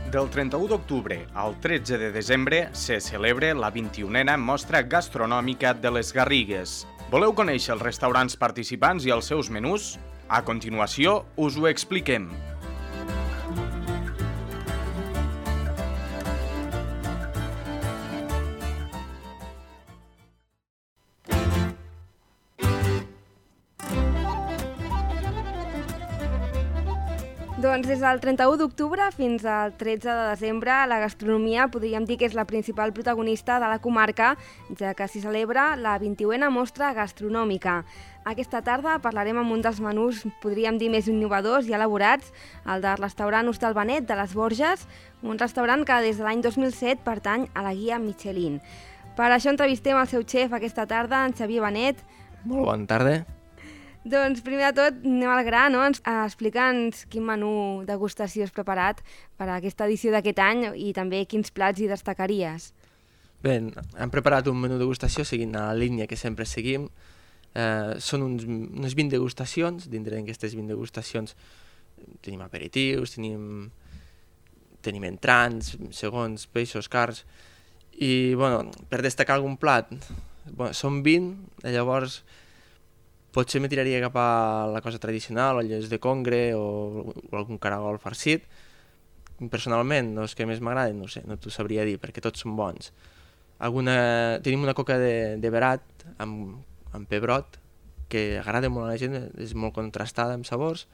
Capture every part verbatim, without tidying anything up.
Del trenta-u d'octubre al tretze de desembre se celebra la vint-i-unena Mostra Gastronòmica de les Garrigues. Voleu conèixer els restaurants participants i els seus menús? A continuació us ho expliquem. Doncs des del trenta-u d'octubre fins al tretze de desembre, la gastronomia podríem dir que és la principal protagonista de la comarca, ja que s'hi celebra la vint-i-unena Mostra Gastronòmica. Aquesta tarda parlarem amb un dels menús, podríem dir, més innovadors i elaborats, el del restaurant Hostal Benet de les Borges, un restaurant que des de l'any dos mil set pertany a la guia Michelin. Per això entrevistem el seu xef aquesta tarda, en Xavier Benet. Molt bona tarda. Doncs primer de tot anem al gra, no? Explica'ns quin menú degustació has preparat per a aquesta edició d'aquest any i també quins plats hi destacaries. Bé, hem preparat un menú degustació seguint la línia que sempre seguim. Eh, són uns, unes vint degustacions. Dintre d'aquestes vint degustacions tenim aperitius, tenim, tenim entrants, segons, peixos, carns. I, bueno, per destacar algun plat, bueno, són vint, llavors potser me tiraria cap a la cosa tradicional, o lles de congre o, o algun caragol farcit. Personalment, els que més m'agraden, no sé, no t'ho sabria dir, perquè tots són bons. Alguna... Tenim una coca de, de verat amb, amb pebrot, que agrada molt a la gent, és molt contrastada amb sabors.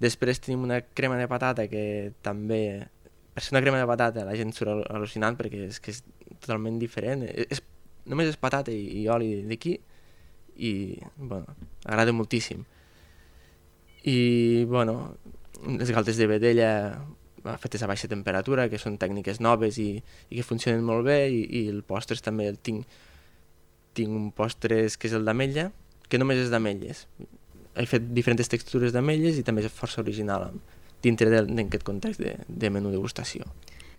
Després tenim una crema de patata que també... Per ser una crema de patata la gent surt al·lucinant perquè és que és totalment diferent. És, només és patata i, i oli d'aquí, i bueno, agrada moltíssim. I bueno, les galtes de vedella fetes a baixa temperatura, que són tècniques noves i, i que funcionen molt bé, i, i el postres també el tinc tinc un postres que és el d'ametlla, que només és d'ametlles. He fet diferents textures d'ametlles i també és força original dintre d'aquest context de, de menú degustació.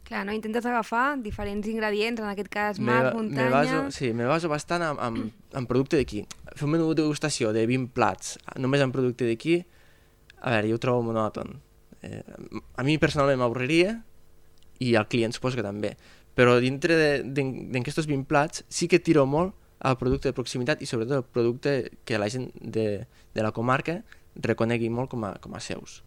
Clar, no? Intentes agafar diferents ingredients, en aquest cas mar, me, muntanya... Me baso, sí, me baso bastant en, en, en producte d'aquí. Fer un menú de degustació de vint plats, només en producte d'aquí, a veure, jo ho trobo monòton. Eh, a mi personalment m'avorriria, i al client suposo que també, però dintre d'aquests vint plats sí que tiro molt al producte de proximitat i sobretot el producte que la gent de, de la comarca reconegui molt com a, com a seus.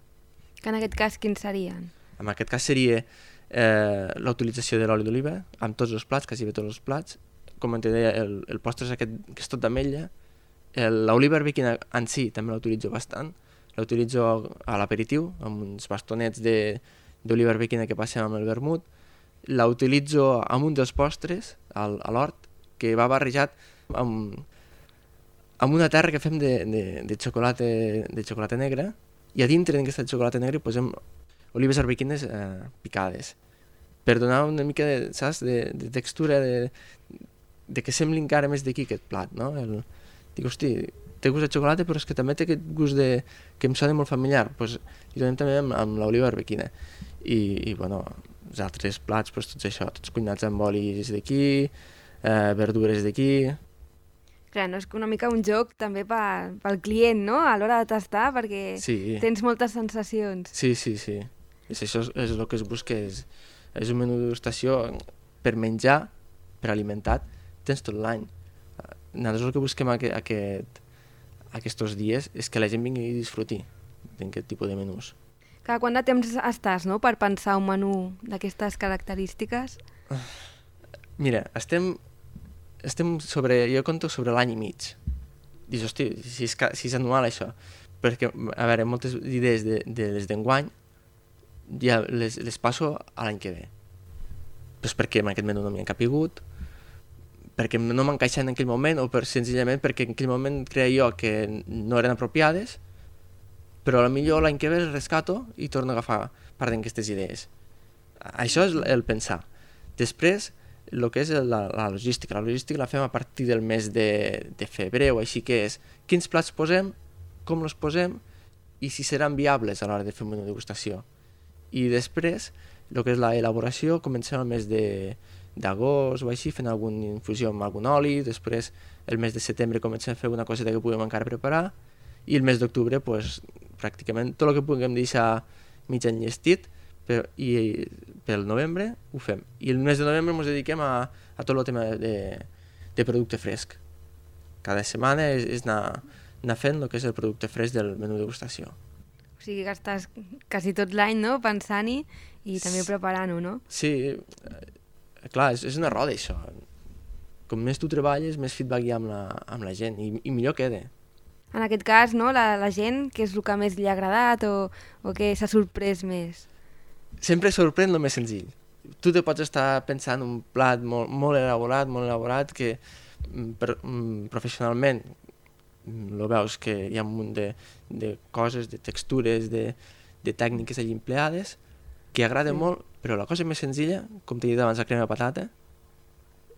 Que en aquest cas quins serien? En aquest cas seria Eh, la utilització de l'oli d'oliva amb tots els plats, quasi bé tots els plats. Com te deia, el, el postre és aquest que és tot d'ametlla. L'oliva arbequina en si també l'utilitzo bastant, l'utilitzo a l'aperitiu amb uns bastonets d'oliva arbequina que passem amb el vermut. L'utilitzo amb un dels postres al, a l'hort, que va barrejat amb, amb una terra que fem de, de, de, xocolata, de xocolata negra, i a dintre d'aquesta xocolata negra posem olives arbequines eh, picades, per donar una mica de, saps, de, de textura, de, de que sembli encara més d'aquí aquest plat, no? El, dic, hosti, té gust de xocolata, però és que també té aquest gust de, que em sona molt familiar, pues, i donem també amb, amb l'oliva arbequina. I, i bueno, els altres plats, pues, tots això, tots cuinats amb olis d'aquí, eh, verdures d'aquí... Clar, no és una mica un joc també per, pel client, no?, a l'hora de tastar, perquè sí. Tens moltes sensacions. Sí, sí, sí. És això és, és el que es busca, és, és un menú de degustació per menjar, per alimentar, tens tot l'any. Nosaltres el que busquem aquest, aquest, aquests dies és que la gent vingui i disfruti d'aquest tipus de menús. Cada quant de temps estàs, no?, per pensar un menú d'aquestes característiques? Mira, estem, estem sobre, jo conto sobre l'any i mig. Dius, hosti, si és, si és anual això, perquè, a veure, moltes idees de, de les d'enguany ja les, les passo a l'any que ve. Pues perquè en aquest menú no m'hi ha capigut, perquè no m'encaixen en aquell moment, o per, senzillament perquè en aquell moment creia jo que no eren apropiades, però potser l'any que ve les rescato i torno a agafar part d'aquestes idees. Això és el pensar. Després, el que és la, la logística. La logística la fem a partir del mes de, de febrer o així, que és quins plats posem, com els posem i si seran viables a l'hora de fer un menú de degustació. I després, el que és l'elaboració, comencem el mes d'agost o així, fent alguna infusió amb algun oli, després el mes de setembre comencem a fer una coseta que puguem encara preparar, i el mes d'octubre, pues, pràcticament tot el que puguem deixar mig enllestit, però, i pel novembre ho fem. I el mes de novembre ens dediquem a, a tot el tema de, de producte fresc. Cada setmana és, és anar, anar fent el que és el producte fresc del menú degustació. O sigui que estàs quasi tot l'any, no?, pensant-hi i també preparant-ho, no? Sí, eh, clar, és, és una roda això. Com més tu treballes, més feedback hi ha amb la, amb la gent i, i millor queda. En aquest cas, no, la, la gent, què és el que més li ha agradat o, o què s'ha sorprès més? Sempre sorprèn el més senzill. Tu te pots estar pensant un plat molt, molt elaborat, molt elaborat, que per, professionalment lo veus que hi ha un munt de, de coses, de textures, de, de tècniques allí empleades, que agrada sí. molt, però la cosa més senzilla, com t'he dit abans, la crema de patata,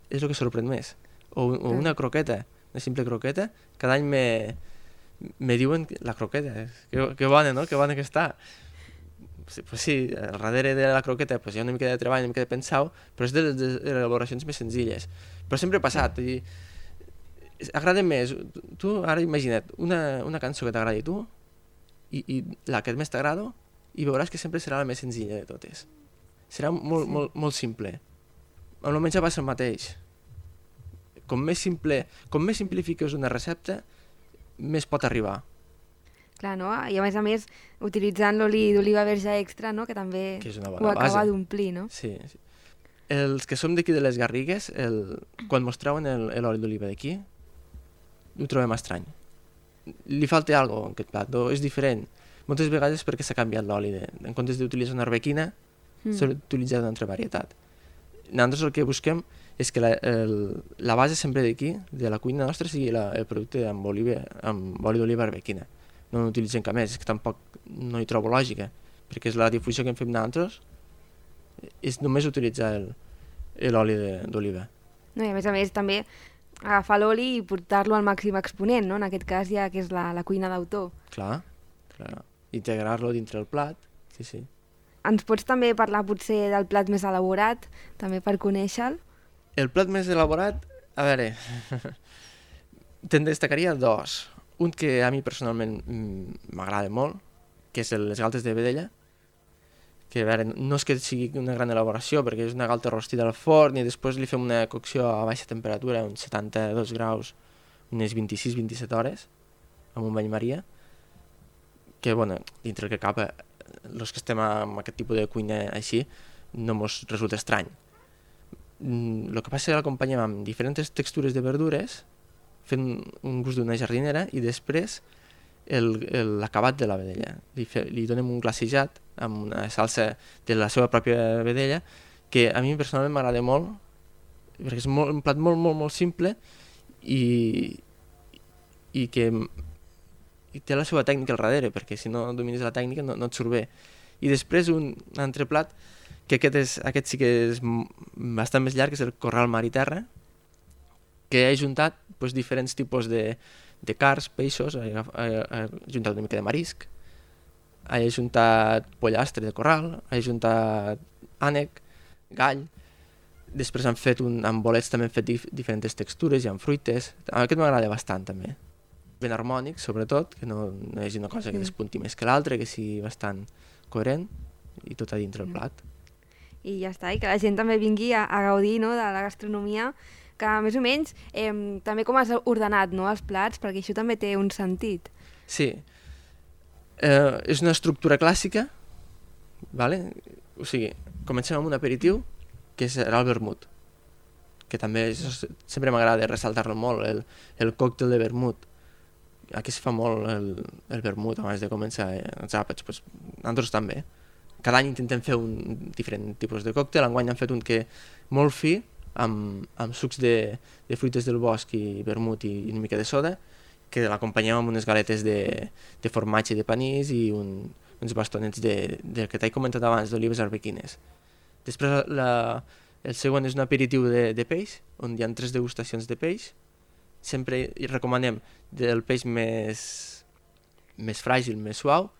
és el que sorprèn més. O, o una croqueta, una simple croqueta, cada any me, me diuen la croqueta, que, que bona, no?, que bona que està. Pues sí, al darrere de la croqueta pues hi ha una mica de treball, una mica de pensar, però és de les, de les elaboracions més senzilles. Però sempre ha passat. I, agrada més, tu ara imagina't, una, una cançó que t'agradi tu i, i la que més t'agrada i veuràs que sempre serà la més senzilla de totes. Serà molt, sí. molt, molt simple. Amb el menjar passa el mateix. Com més simple, com més simplifiques una recepta, més pot arribar. Clar, no? I a més a més, utilitzant l'oli d'oliva verge extra, no?, que també que és una ho bona acaba base. d'omplir, no? Sí, sí. Els que som d'aquí de les Garrigues, el, quan mostraven l'oli d'oliva d'aquí, ho trobem estrany. Li falta alguna cosa en aquest plat, no? És diferent. Moltes vegades perquè s'ha canviat l'oli. En comptes d'utilitzar una arbequina, mm. s'ha utilitzat una altra varietat. Nosaltres el que busquem és que la, el, la base sempre d'aquí, de la cuina nostra, sigui la, el producte amb, oliva, amb oli d'oliva arbequina. No n'utilitzem cap més, és que tampoc no hi trobo lògica, perquè és la difusió que hem fet nosaltres, és només utilitzar l'oli d'oliva. No, i a més a més també agafar l'oli i portar-lo al màxim exponent, no? En aquest cas ja que és la, la cuina d'autor. Clar, clar. Integrar-lo dintre el plat, sí, sí. Ens pots també parlar potser del plat més elaborat, també per conèixer-lo? El plat més elaborat, a veure, te'n destacaria dos. Un que a mi personalment m'agrada molt, que és les galtes de vedella, que a veure, no és que sigui una gran elaboració, perquè és una galta rostida al forn i després li fem una cocció a baixa temperatura, uns setanta-dos graus, unes vint-i-sis a vint-i-set hores, amb un bany maria, que, bueno, dintre el que cap, els que estem amb aquest tipus de cuina així, no ens resulta estrany. El que passa és que l'acompanyem amb diferents textures de verdures, fent un gust d'una jardinera i després l'acabat de la vedella. Li, fe, li donem un glacejat amb una salsa de la seva pròpia vedella que a mi personalment m'agrada molt perquè és molt, un plat molt, molt, molt simple i, i que i té la seva tècnica al darrere, perquè si no domines la tècnica no, no et surt bé. I després un altre plat, que aquest, és, aquest sí que és bastant més llarg, és el corral mar i terra, que he juntat pues, diferents tipus de, de carns, peixos, he, he, he juntat una mica de marisc, he juntat pollastre de corral, he juntat ànec, gall, després han fet un, amb bolets també han fet dif, diferents textures i amb fruites, aquest m'agrada bastant també. Ben harmònic, sobretot, que no, no hi hagi una cosa que despunti més que l'altra, que sigui bastant coherent i tot a dintre el plat. I ja està, i que la gent també vingui a, a gaudir, no?, de la gastronomia, que més o menys eh, també com has ordenat, no?, els plats, perquè això també té un sentit. Sí, eh, és una estructura clàssica, vale? O sigui, comencem amb un aperitiu, que serà el vermut, que també és, sempre m'agrada ressaltar-lo molt, el, el còctel de vermut. Aquí es fa molt el, el vermut abans de començar eh, els àpats, pues, nosaltres també. Cada any intentem fer un diferent tipus de còctel, enguany han fet un que molt fi, amb, amb sucs de, de fruites del bosc i vermut i, i una mica de soda, que l'acompanyem amb unes galetes de, de formatge de panís i un, uns bastonets de, de que t'he comentat abans, d'olives arbequines. Després la, el següent és un aperitiu de, de peix, on hi ha tres degustacions de peix. Sempre hi recomanem del peix més, més fràgil, més suau,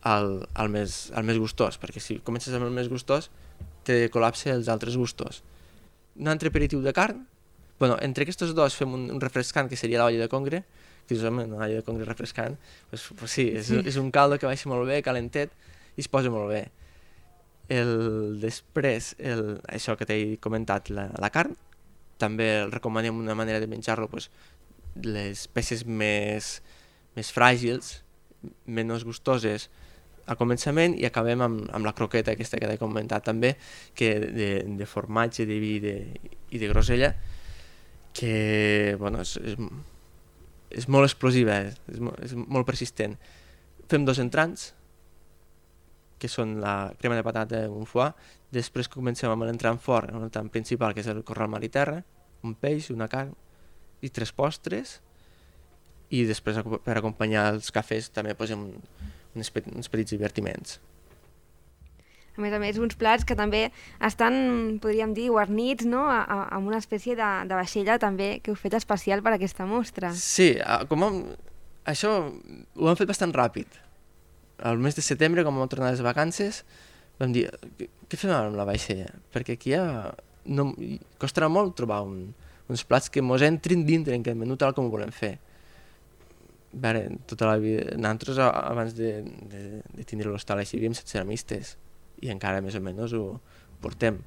al, al, més, al més gustós, perquè si comences amb el més gustós te col·lapsa els altres gustos. Un altre aperitiu de carn, bueno, entre aquests dos fem un, un refrescant que seria l'olla de congre, que dius, home, l'olla de congre refrescant, pues, pues sí, és, és un caldo que baixa molt bé, calentet, i es posa molt bé. El, després, el, això que t'he comentat, la, la carn, també el recomanem una manera de menjar-lo, pues, les peces més, més fràgils, menys gustoses al començament, i acabem amb, amb la croqueta aquesta que t'he comentat també, que de, de formatge, de vi de, i de grosella, que bueno, és, és, és molt explosiva, és, és molt persistent. Fem dos entrants, que són la crema de patata i un foie. Després comencem amb l'entrant fort, l'entrant principal, que és el corral mar i terra, un peix, una carn i tres postres, i després per acompanyar els cafès també posem uns, uns petits divertiments. A més a més, uns plats que també estan, podríem dir, guarnits, no? A, a, amb una espècie de, de vaixella també que heu fet especial per a aquesta mostra. Sí, com hem, això ho hem fet bastant ràpid. Al mes de setembre, com vam tornar les vacances, vam dir, què fem amb la vaixella? Perquè aquí ja no, costarà molt trobar un, uns plats que mos entrin dintre en aquest menú tal com ho volem fer. A veure, tota la vida, nosaltres abans de, de, de tindre l'hostal així havíem set ceramistes i encara més o menys ho portem.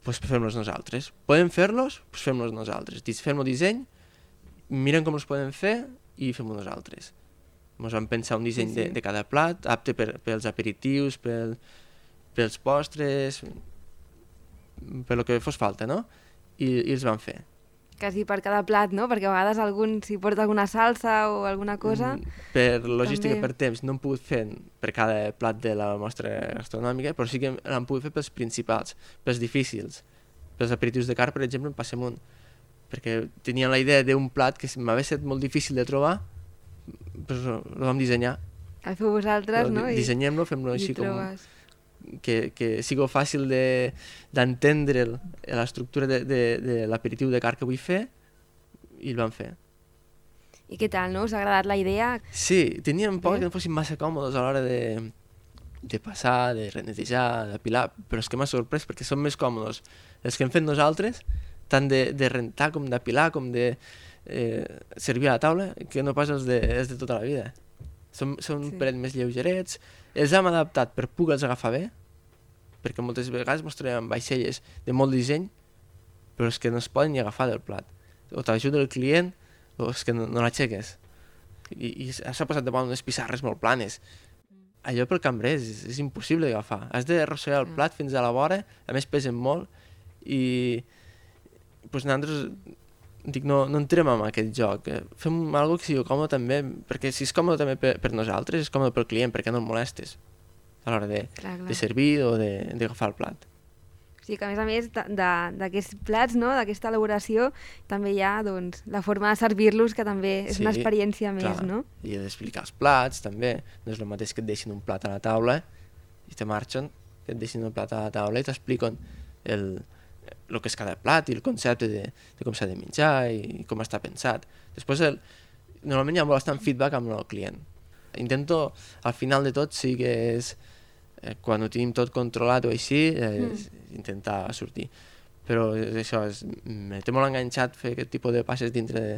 Doncs pues fem-los nosaltres. Podem fer-los? Doncs pues fem-los nosaltres. Fem el disseny, mirem com els podem fer i fem-ho nosaltres. Ens vam pensar un disseny sí, sí. De, de cada plat, apte per, pels aperitius, pel, pels postres, per lo que fos falta, no? I, i els vam fer. Quasi per cada plat, no? Perquè a vegades algun s'hi porta alguna salsa o alguna cosa. Per logística, també. Per temps, no hem pogut fer per cada plat de la mostra gastronòmica, però sí que l'hem pogut fer pels principals, pels difícils. Pels aperitius de carn, per exemple, en passem un. Perquè tenia la idea d'un plat que m'havia estat molt difícil de trobar, però el vam dissenyar. El feu vosaltres, no? Dissenyem-lo, fem-lo així com... Que, que sigui fàcil d'entendre de, l'estructura de, de, de l'aperitiu de carn que vull fer, i el vam fer. I què tal, no? Us ha agradat la idea? Sí, teníem por que no fossin massa còmodes a l'hora de, de passar, de renetejar, d'apilar, però és que m'ha sorprès perquè són més còmodes els que hem fet nosaltres, tant de, de rentar com d'apilar, com de eh, servir a la taula, que no pas els de, els de tota la vida. Són, són sí. Un parell més lleugerets, els hem adaptat per poder-los agafar bé, perquè moltes vegades ens trobem amb vaixelles de molt disseny, però és que no es poden ni agafar del plat. O t'ajuda el client, o és que no, no l'aixeques. I, i s'ha passat davant unes pissarres molt planes. Allò pel cambrer és, és impossible d'agafar. Has d'arrossegar el plat fins a la vora, a més pesen molt, i pues, nosaltres dic, no, no entrem en aquest joc. Fem alguna cosa que sigui còmode també, perquè si és còmode també per, per nosaltres, és còmode pel client, perquè no el molestes a l'hora de, clar, clar. de servir o d'agafar el plat. O sigui que a més a més d'aquests plats, no? D'aquesta elaboració, també hi ha doncs, la forma de servir-los, que també és sí, una experiència clar. Més, no? I d'explicar els plats, també. No és el mateix que et deixin un plat a la taula i te marxen, que et deixin un plat a la taula i t'expliquen el... el que és cada plat i el concepte de, de com s'ha de menjar i com està pensat. Després, el, normalment hi ha bastant feedback amb el client. Intento, al final de tot, sí que és, eh, quan ho tenim tot controlat o així, eh, mm. intentar sortir. Però és això, és, me té molt enganxat fer aquest tipus de passes dintre de,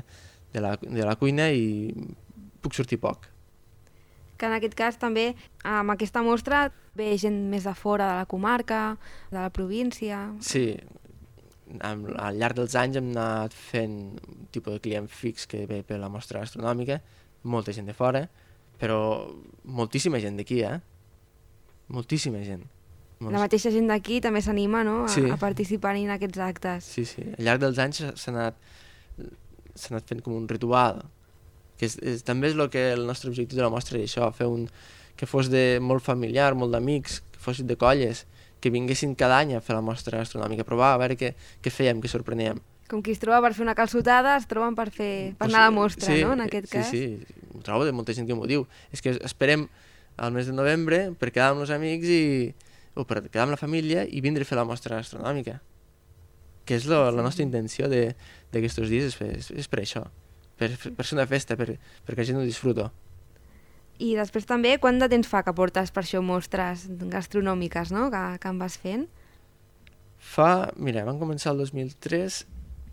de, la, de la cuina i puc sortir poc. Que en aquest cas també, amb aquesta mostra, ve gent més de fora de la comarca, de la província... Sí, al llarg dels anys hem anat fent un tipus de client fix que ve per la mostra gastronòmica, molta gent de fora, però moltíssima gent d'aquí, eh? Moltíssima gent. La mateixa gent d'aquí també s'anima, no?, a, sí. a participar en aquests actes. Sí, sí. Al llarg dels anys s'ha anat, s'ha anat fent com un ritual, que és, és, també és el que el nostre objectiu de la mostra és això, fer un que fos de molt familiar, molt d'amics, que fossin de colles, que vinguessin cada any a fer la mostra gastronòmica, a provar, a veure què, què fèiem, què sorpreníem. Com qui es troba per fer una calçotada, es troben per, fer, per anar a la mostra, sí, no?, en aquest sí, cas. Sí, sí, ho trobo de molta gent que m'ho diu. És que esperem al mes de novembre per quedar amb els amics i, o per quedar amb la família i vindre a fer la mostra gastronòmica. Que és lo, la nostra intenció d'aquests dies, és, és, és per això, per, per ser una festa, per, perquè la gent ho disfruta. I després també, quant de temps fa que portes per això mostres gastronòmiques, no?, que, que en vas fent? Fa, mira, vam començar el dos mil tres,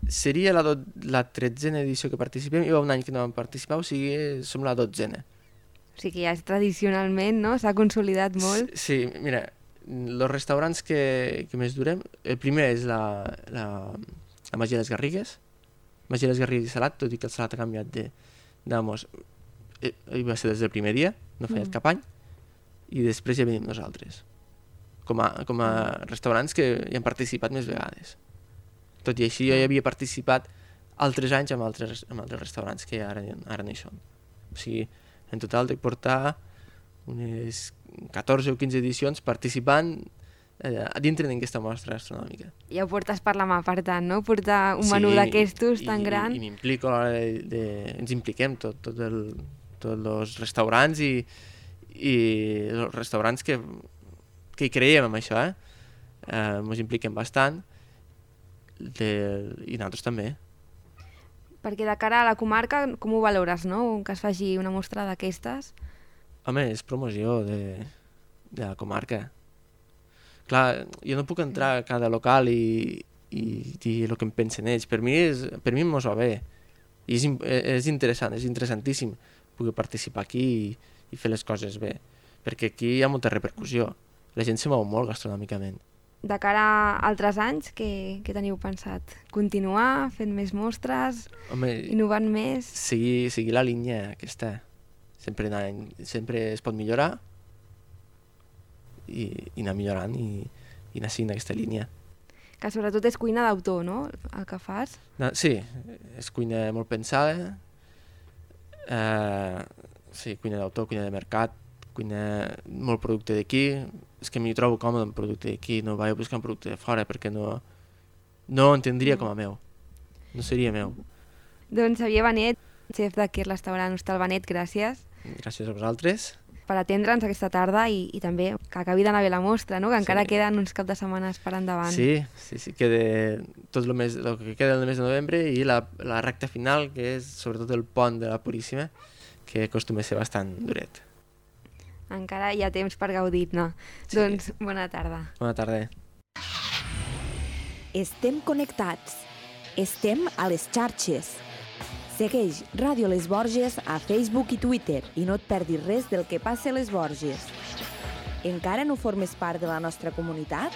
seria la, do, la tretzena edició que participem, i va un any que no vam participar, o sigui, som la dotzena. O sigui que ja és tradicionalment, no?, s'ha consolidat molt. Sí, sí, mira, els restaurants que, que més durem, el primer és la, la, la Masia de les Garrigues. Masia de les Garrigues i salat, tot i que el salat ha canviat de, d'amos, eh, va ser des del primer dia, no ha fallat mm. cap any, i després ja venim nosaltres, com a, com a restaurants que hi han participat més vegades. Tot i així jo ja havia participat altres anys amb altres, amb altres restaurants que ara, ara no hi són. O sigui, en total dec portar unes catorze o quinze edicions participant eh, dintre d'aquesta mostra gastronòmica. Ja ho portes per la mà, per tant, no? Portar un menú sí, d'aquestos tan i, gran. I, i m'implico a l'hora de, de... Ens impliquem, tot, tot el, tots els restaurants i, i els restaurants que, que hi creiem en això, eh? Eh, ens impliquem bastant de, i nosaltres també. Perquè de cara a la comarca, com ho valores, no? Que es faci una mostra d'aquestes? Home, és promoció de, de la comarca. Clar, jo no puc entrar a cada local i, i dir el que em pensen ells. Per mi, és, per mi mos va bé. I és, és interessant, és interessantíssim poder participar aquí i, i fer les coses bé. Perquè aquí hi ha molta repercussió. La gent se mou molt gastronòmicament. De cara a altres anys, què, què teniu pensat? Continuar fent més mostres? Home, innovant més? Seguir, seguir la línia aquesta. Sempre, anar, sempre es pot millorar i, i anar millorant i, i anar seguint aquesta línia. Que sobretot és cuina d'autor, no?, el que fas? No, sí, és cuina molt pensada. Eh, sí, cuina d'autor, cuina de mercat, cuina molt producte d'aquí. És que m'hi trobo còmode amb producte d'aquí, no vaig buscar un producte de fora perquè no, no ho entendria com a meu. No seria meu. Doncs Xavier Benet, xef d'aquest restaurant Hostal Benet, gràcies. Gràcies a vosaltres. Per atendre'ns aquesta tarda i, i també que acabi d'anar bé la mostra, no? Que encara sí. Queden uns cap de setmanes per endavant. Sí, sí, sí, queda tot el, mes, el que queda del mes de novembre i la, la recta final, que és sobretot el pont de la Puríssima, que acostuma a ser bastant duret. Encara hi ha temps per gaudir-ne. Sí. Doncs bona tarda. Bona tarda. Estem connectats. Estem a les xarxes. Segueix Ràdio Les Borges a Facebook i Twitter i no et perdis res del que passa a Les Borges. Encara no formes part de la nostra comunitat?